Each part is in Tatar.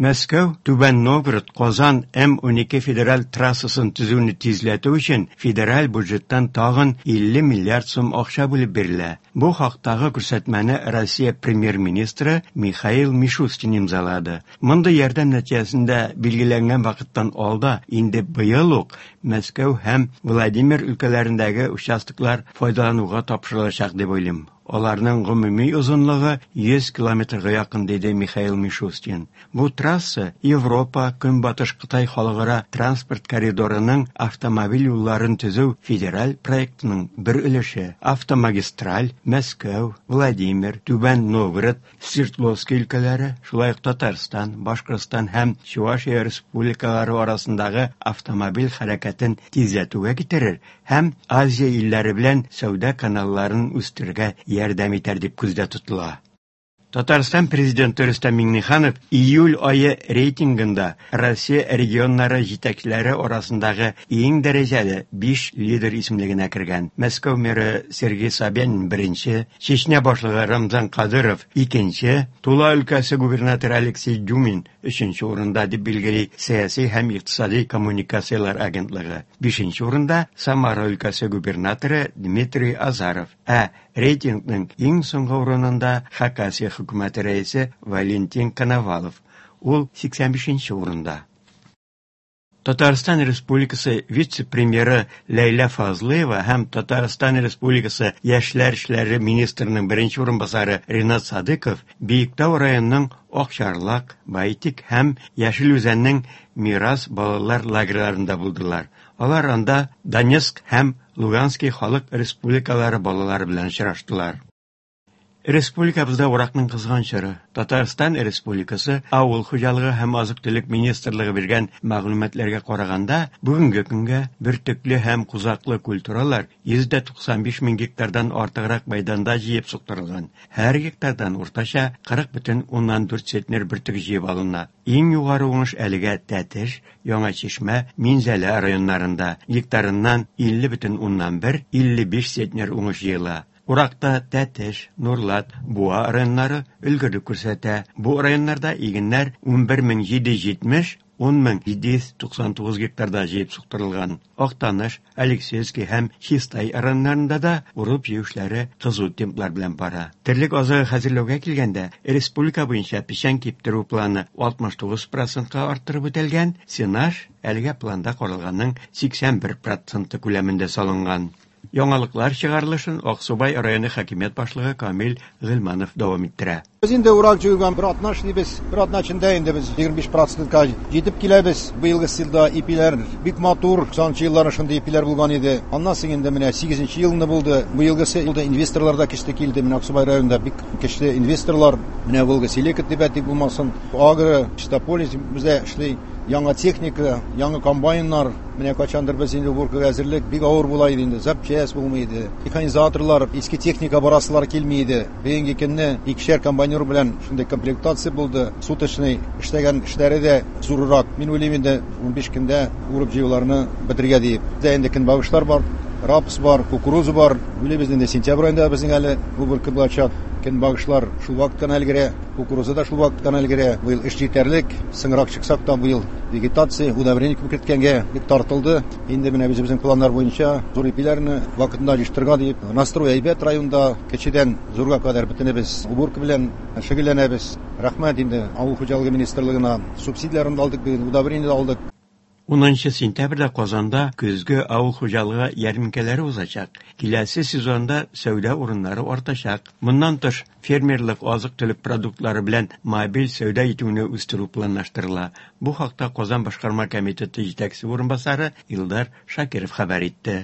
Мәскәү, Түбән Новгород, Казан М-12 федераль трассасын төзүне тизләтү өчен федераль бюджеттан тагын 50 миллиард сум акча бүлеп бирелә. Бу хактагы күрсәтмәне Россия премьер-министры Михаил Мишустин имзалады. Мондый ярдәм нәтиҗәсендә билгеләнгән вакыттан алда инде быел ук Мәскәү һәм Владимир өлкәләрендәге участоклар файдалануга тапшырылачак дип уйлыйм. Аларның гомуми озынлыгы 100 километрга якын, диде Михаил Мишустин. Бу трасса Европа, Көнбатыш Кытай халыкара транспорт коридорының автомобиль юлларын төзү федераль проектының бер өлеше. Автомагистраль Мәскәү, Владимир, Түбән Новгород, Свердловский өлкәләре, шулай ук Татарстан, Башкортстан һәм Чувашия республикалары арасындагы автомобиль хәрәкәтен тизләтүгә китерер һәм Азия илләре белән сәүдә каналларын үстерергә ярдәм итәр дип күздә тотыла. Татарстан Президенты Рөстәм Миңнеханов июль ае рейтингында Россия регионнары җитәкчеләре арасындагы иң дәрәҗәле 5 лидер исемлегенә кергән. Мәскәү мэры Сергей Собянин беренче, Чечня башлыгы Рамзан Кадыров икенче, Тула өлкәсе губернаторы Алексей Дюмин өченче урында, дип билгели Сәяси һәм икътисади коммуникацияләр агентлыгы. Бишенче урында Самара өлкәсе губернаторы Дмитрий Азаров, ә рейтингның иң соңгы урынында Хакасия хөкүмәте рәисе Валентин Коновалов. Ул 85 нче урында. Татарстан Республикасы вице-премьеры Ләйлә Фазлыева һәм Татарстан Республикасы Яшьләр эшләре министрының беренче урынбасары Ринат Садыков Биектау районының Акчарлак, Байтик һәм Яшел Үзәннең Мирас балалар лагерьларында булдылар. Алар анда Донецк һәм Луганский халык республикалары балалары белән очраштылар. Республикабызда уракның кызган чоры. Татарстан Республикасы Авыл хуҗалыгы һәм азык-төлек министрлыгы биргән мәгълүматларга караганда, бүгенге көнгә бөртекле һәм кузаклы культуралар 195 мең гектардан артыграк мәйданда җыеп суктырылган. Һәр гектардан уртача 40,4 центнер бөртек җыеп алына. Иң югары уңыш әлегә Тәтеш, Яңа Чишмә, Минзәлә районнарында, гектарыннан 50,1, 55 центнер уңыш җыела. Уракта Тәтеш, Нурлат, Буа районнары өлгерлек күрсәтә. Бу районнарда игеннәр 11770, 10799 гектарда җыеп суктырылган. Актаныш, Алексеевский һәм Чистай районнарында да урып-җыю эшләре кызу темплар белән бара. Терлек азыгы хәзерләүгә килгәндә, республика буенча печән киптерү планы 69 процентка арттырып үтәлгән, сенаж әлегә планда каралганның 81 проценты күләмендә салынган. Яңалыклар чыгарылышын Аксубай районы хакимият башлыгы Камил Гыйльманов дәвам иттерә. Без инде урак җыюга бер атна эшлибез. Бер атна эчендә инде без 25 процентка җитеп киләбез. Быелгы елда ипиләр бик матур. 90 елларны шундый ипиләр булган иде. Аннан соң инде менә 8 елны булды. Быелгысы елда инвесторлар да көчле килде. Менә Аксубай районында бик көчле инвесторлар. Менә Волга Селека дип әйтик булмасын. Агро, Чистополис бездә эшли. Яңа техника, яңа комбайннар. Менә кайчандыр без инде уборкага әзерлек бик авыр була иде инде, запчасть булмый иде. Механизаторлар, иске техника барасылар килми иде. Бүгенге көнне икешәр комбайнер белән шундый комплектация булды. Суточный эшләгән эшләре дә зуррак. Мин уйлыйм инде 15 көндә урып җыюларны бетерергә диеп. Бездә инде көнбагышлар бар, рапс бар, кукуруза бар. Уйлыйбыз инде сентябрь аенда безнең әле уборка булачак. Көнбагышлар шул вакыт кына өлгерә. Кукуруза да шул вакыт кына өлгерә. Быел эш җитәрлек. Соңрак чыксак та, быел вегетация, удобрение күп керткәнгә бик тартылды. Инде менә үзебезнең планнар буенча зур ипиләрне вакытында җыештырырга диеп, настрой әйбәт районда, кечедән зурга кадәр бөтенебез уборка белән шөгыльләнәбез. Рәхмәт инде авыл хуҗалыгы министрлыгына, субсидияләрен дә алдык быел, удобрение дә алдык. Унынчы сентябрьдә Казанда көзге авыл хуҗалыгы ярминкәләре узачак. Киләсе сезонда сәүдә урыннары артачак. Моннан тыш, фермерлык азык-төлек продуктлары белән мобиль сәүдә итүне үстерү планлаштырыла. Бу хакта Казан башкарма комитеты җитәкчесе урынбасары Илдар Шакиров хәбәр итте.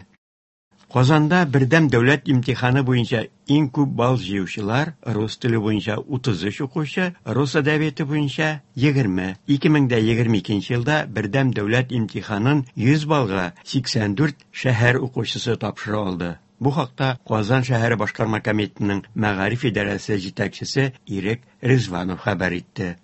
Казанда бердәм дәүләт имтиханы буенча иң күп балл җыючылар рус теле буенча 33 укучы, рус әдәбияты буенча 20. 2022 елда бердәм дәүләт имтиханын 100 баллга 84 шәһәр укучысы тапшыра алды. Бу хакта Казан шәһәре башкарма комитетының мәгариф идарәсе җитәкчесе Ирек Ризванов хәбәр итте.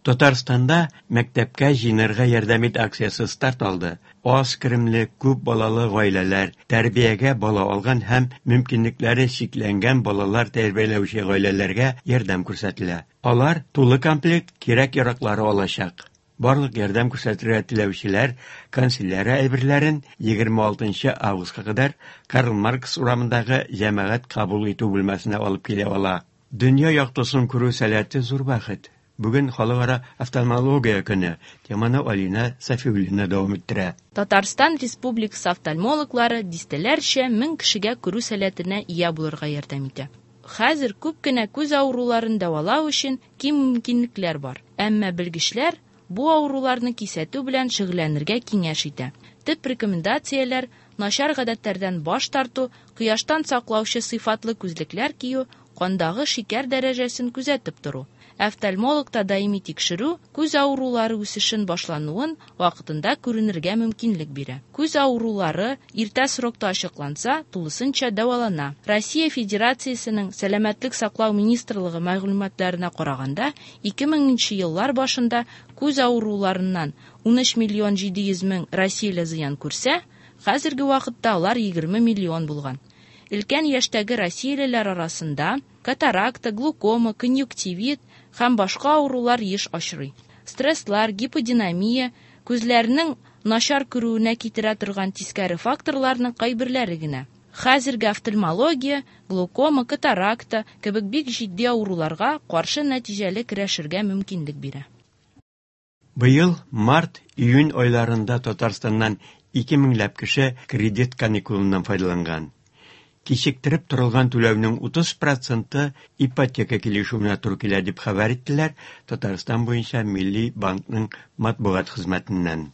Татарстанда Мәктәпкә җыенырга ярдәм ит акциясе старт алды. Аз керемле, күп балалы гаиләләр, тәрбиягә бала алган һәм мөмкинлекләре чикләнгән балалар тәрбияләүче гаиләләргә ярдәм күрсәтелә. Алар тулы комплект кирәк-яраклары алачак. Барлык ярдәм күрсәтергә теләүчеләр канцелярия әйберләрен 26 августка кадәр Карл Маркс урамындагы җәмәгать кабул итү бүлмәсенә алып килә ала. Дөнья яктысын күрү сәләте зур бәхет. Бүген Халыкара офтальмология көне. Теманы Алинә Сафиуллина дәвам иттерә. Татарстан Республикасы офтальмологлары дистәләрчә мең кешегә күрү сәләтенә ия булырга ярдәм итә. Хәзер күп кенә күз авыруларын дәвалау өчен киң мөмкинлекләр бар. Әмма белгечләр бу авыруларны кисәтү белән шөгыльләнергә киңәш итә. Төп рекомендацияләр начар гадәтләрдән баш тарту, кояштан саклаучы сыйфатлы күзлекләр кию, кандагы шикәр дәрәҗәсен күзәтеп тору. Офтальмологта даими тикшерү күз авырулары үсешен башлануын вакытында күренергә мөмкинлек бирә. Күз авырулары иртә срокта ачыкланса, тулысынча дәвалана. Россия Федерациясенең Сәламәтлек саклау министрлыгы мәгълүматларына караганда, 2000 еллар башында күз авыруларыннан 13 миллион 700 мең россияле зыян күрсә, хәзерге вакытта алар 20 миллион булган. Өлкән яшьтәге россиялеләр арасында катаракта, глукома, конъюнктивит һәм башка авырулар еш очрый. Стресслар, гиподинамия, күзләрнең начар күрүенә китерә торган тискәре факторларның кайберләре генә. Хәзерге офтальмология, глукома, катаракта кебек бик җитди авыруларга каршы нәтиҗәле көрәшергә мөмкинлек бирә. Быел март-июнь айларында Татарстаннан 2 меңләп кеше кредит каникулыннан файдаланган. Кичектереп торылган түләүнең 30 проценты ипотека килешүенә туры килә, дип хәбәр иттеләр Татарстан буенча Милли банкның матбугат хезмәтеннән.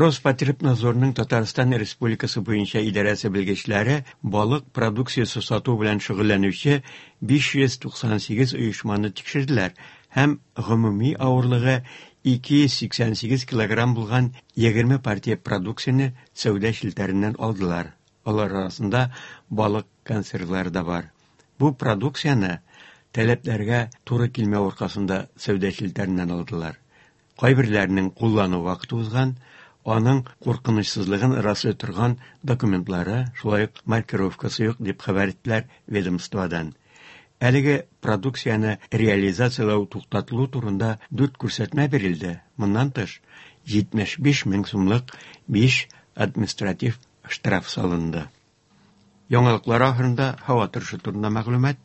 Роспотребнадзорның Татарстан Республикасы буенча идарәсе белгечләре балык продукциясе сату белән шөгыльләнүче 598 оешманы тикшерделәр һәм гомуми авырлыгы 288 килограмм булган 20 партия продукцияне сәүдә челтәреннән алдылар. Алар арасында балык консервлары да бар. Бу продукцияне таләпләргә туры килмәү аркасында сәүдә челтәреннән алдылар. Кайберләренең куллану вакыты узган, аның куркынычсызлыгын раслый торган документлары, шулай ук маркировкасы юк, дип хәбәр иттеләр ведомстводан. Әлеге продукцияне реализацияләү туктатылу турында 4 күрсәтмә бирелде. Моннан тыш, 75 мең сумлык 5 административ штраф салынды. Яңалыклар ахырында һава торышы турында мәгълүмат.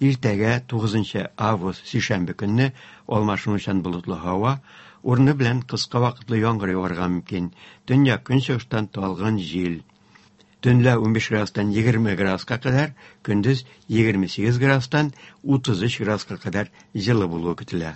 Иртәгә 9 август сишәмбе көнне алмашынучан болытлы һава, урыны белән кыска вакытлы яңгыр яварга мөмкин. Төньяк көнчыгыштан талгын җил. Төнлә 15 градустан 20 градуска кадәр, көндез 28 градустан 33 градуска кадәр җылы булуы көтелә.